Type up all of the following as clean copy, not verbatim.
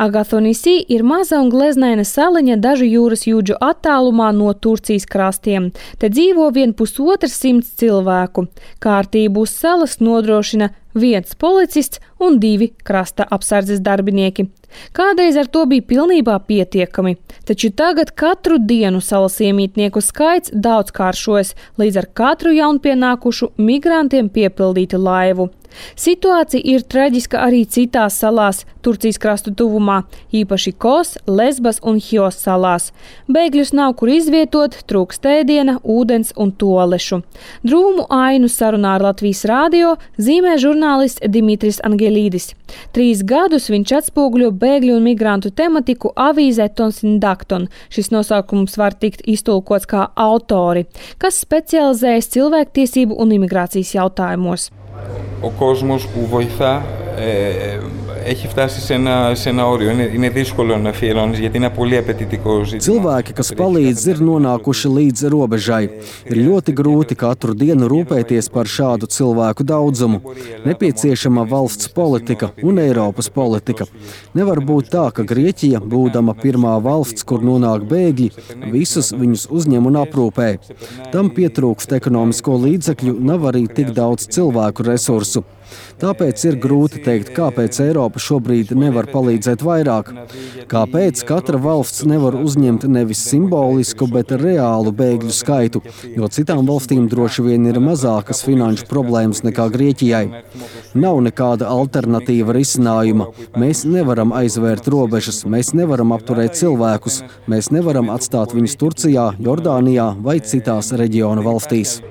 Agathonisi ir maza un gleznaina saliņa dažu jūras jūdžu attālumā no Turcijas krastiem. Te dzīvo vien 150 cilvēku. Kārtību uz salas nodrošina 1 policists un 2 krasta apsardzes darbinieki. Kādreiz ar to bija pilnībā pietiekami, taču tagad katru dienu salas iemītnieku skaits daudzkāršojas, līdz ar katru jaunpienākušu migrantiem piepildītu laivu. Situācija ir traģiska arī citās salās Turcijas krastu tuvumā, īpaši Kos, Lesbas un Hios salās. Bēgļus nav kur izvietot, trūkst ēdiena, ūdens un toalešu. Drūmu ainu sarunā ar Latvijas radio zīmē žurnālists Dimitris Angelīdis. 3 gadus viņš atspoguļo bēgļu un migrantu tematiku avīzē Tonsindakton. Šis nosaukums var tikt iztulkots kā autori, kas specializējas cilvēktiesību un imigrācijas jautājumos. Ο κόσμος που βοηθά έχει φτάσει σε ένα όριο. Είναι δύσκολο να αφιερώνεις γιατί είναι πολύ απαιτητικό ζήτημα. Cilvēki, kas palīdz, ir nonākuši līdz robežai. Ir ļoti grūti katru dienu rūpēties par šādu cilvēku daudzumu. Nepieciešama valsts politika un Eiropas politika. Nevar būt tā, ka Grieķija, būdama pirmā valsts, kur nonāk bēgļi, visus viņus uzņem un aprūpē. Tam pietrūkst ekonomisko līdzekļu, nav arī tik daudz cilvēku resursu. Tāpēc ir grūti teikt, kāpēc Eiropa šobrīd nevar palīdzēt vairāk. Kāpēc katra valsts nevar uzņemt nevis simbolisku, bet reālu bēgļu skaitu, jo citām valstīm droši vien ir mazākas finanšu problēmas nekā Grieķijai. Nav nekāda alternatīva risinājuma. Mēs nevaram aizvērt robežas, mēs nevaram apturēt cilvēkus, mēs nevaram atstāt viņus Turcijā, Jordānijā vai citās reģiona valstīs.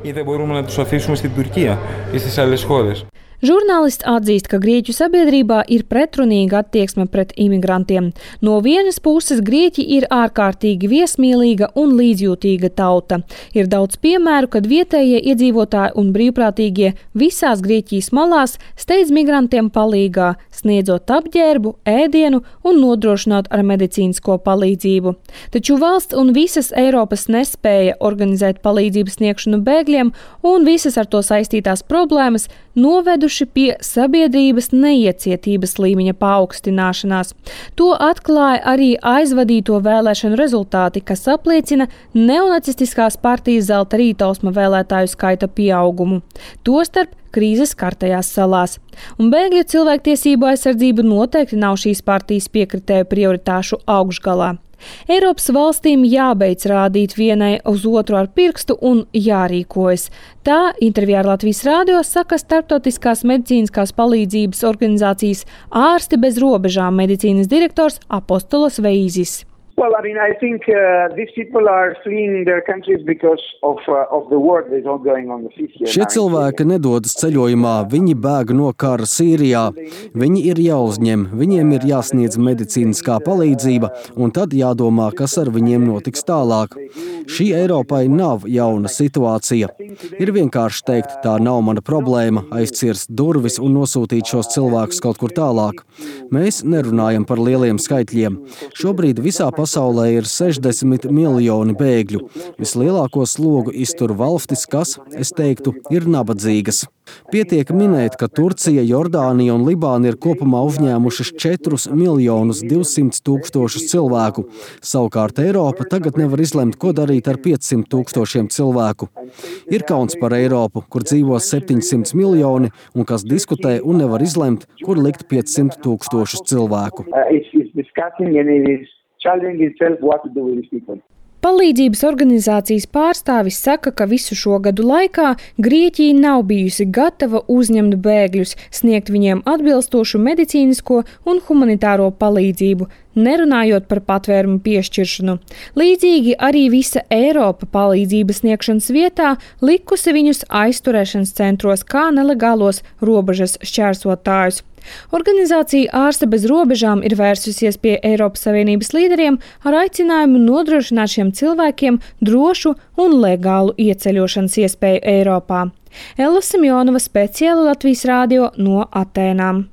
Žurnālists atzīst, ka Grieķu sabiedrībā ir pretrunīga attieksme pret imigrantiem. No vienas puses Grieķi ir ārkārtīgi viesmīlīga un līdzjūtīga tauta. Ir daudz piemēru, kad vietējie iedzīvotāji un brīvprātīgie visās Grieķijas malās steidz migrantiem palīgā, sniedzot apģērbu, ēdienu un nodrošinot ar medicīnisko palīdzību. Taču valsts un visas Eiropas nespēja organizēt palīdzības sniegšanu bēgļiem un visas ar to saistītās problēmas noveduši pie sabiedrības neiecietības līmeņa paaugstināšanās. To atklāja arī aizvadīto vēlēšanu rezultāti, kas apliecina neonacistiskās partijas Zelta rītausma vēlētāju skaita pieaugumu. Tostarp krīzes skartajās salās. Un bēgļu cilvēktiesību aizsardzība noteikti nav šīs partijas piekritēju prioritāšu augšgalā. Eiropas valstīm jābeidz rādīt vienai uz otru ar pirkstu un jārīkojas. Tā intervijā ar Latvijas radio saka starptautiskās medicīniskās palīdzības organizācijas Ārsti bez robežām medicīnas direktors Apostolos Veizis. Well, I think these people are fleeing their countries because of the war that is ongoing on the sea here. Šie cilvēki nedodas ceļojumā, viņi bēg no kara Sīrijā. Viņi ir jāuzņem, viņiem ir jāsniedz medicīniskā palīdzība, un tad jādomā, kas ar viņiem notiks tālāk. Šī Eiropai nav jauna situācija. Ir vienkārši teikt, tā nav mana problēma, aizcirst durvis un nosūtīt šos cilvēkus kaut kur tālāk. Mēs nerunājam par lieliem skaitļiem. Šobrīd visā pasaulē ir 60 miljoni bēgļu. Vislielāko slogu iztur valstis, kas, es teiktu, ir nabadzīgas. Pietiek minēt, ka Turcija, Jordānija un Libāna ir kopumā uzņēmušas 4 miljonus 200 tūkstošus cilvēku. Savukārt Eiropa tagad nevar izlemt, ko darīt ar 500 tūkstošiem cilvēku. Ir kauns par Eiropu, kur dzīvo 700 miljoni un kas diskutē un nevar izlemt, kur likt 500 tūkstošus cilvēku. Palīdzības organizācijas pārstāvis saka, ka visu šo gadu laikā Grieķija nav bijusi gatava uzņemt bēgļus, sniegt viņiem atbilstošu medicīnisko un humanitāro palīdzību, nerunājot par patvērumu piešķiršanu. Līdzīgi arī visa Eiropa palīdzības sniegšanas vietā likusi viņus aizturēšanas centros kā nelegālos robežas šķērsotājus. Organizācija Ārsti bez robežām ir vērsusies pie Eiropas Savienības līderiem ar aicinājumu nodrošināt šiem cilvēkiem drošu un legālu ieceļošanas iespēju Eiropā. Ella Simjonova, speciāli Latvijas radio no Atēnām.